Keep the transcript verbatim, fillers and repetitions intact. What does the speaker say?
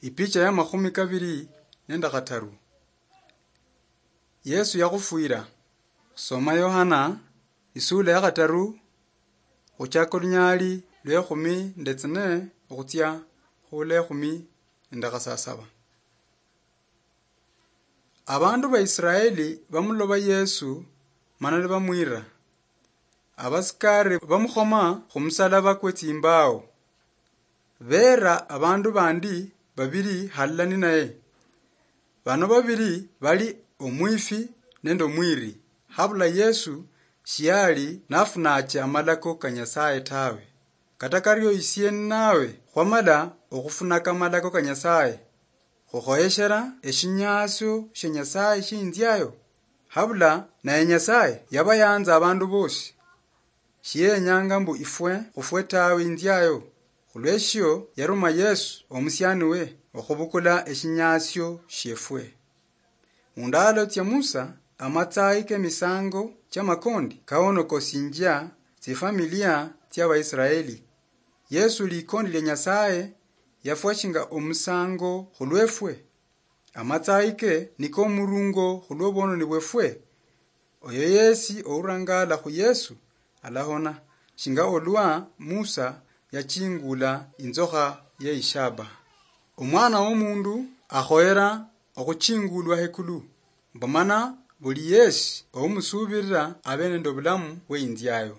Ipicha ya makhumi kabiri nende khataru. Yesu yakhufwira. Soma Yohana isula ya khataru, khuchaka olunyali lwekhumi nde tsine okhutsia khule ekhumi nde khasasaba. Abandu ba Israeli bamuloba Yesu, mana nibamwira. Abasikari bamukhoma khumusalaba kwe tsimbao. Beera abandu bandi babiri halala ninaye. Bano babiri bali omwifi nende omwiri. Habula Yesu shiali nafunache amalako ka Nyasaye tawe. Kata kario isie ninawe khwamala okhufunaka amalako ka Nyasaye, khukhoyeshera eshinyasio shia Nyasaye shinziayo. Habula naye Nyasaye yabayanza abandu bosi. Shiyenyanga mbu ifwe khufwe tawe inziayo. Khulweshio yaruma Yesu omusianiwe okhubukula eshinyasio shiefwe. Mundalo tsia Musa, amatsayi kemisango chia makondi kaonokosinjia tsifamilia tsia Baisraeli. Yesu likondi lia Nyasaye yafwa shinga omusango khulwefwe. Amatsayi ke niko omurungo khulwobwononi bwefwe. Oyo yesi ourangala khu Yesu alahona, shinga olwa Musa yachingula inzokha yeishaba. Omwana womundu akhoyera okhuchingulwa hekulu, mbu mana buli yesi oumusuubirira abe nende obulamu bweinziayo.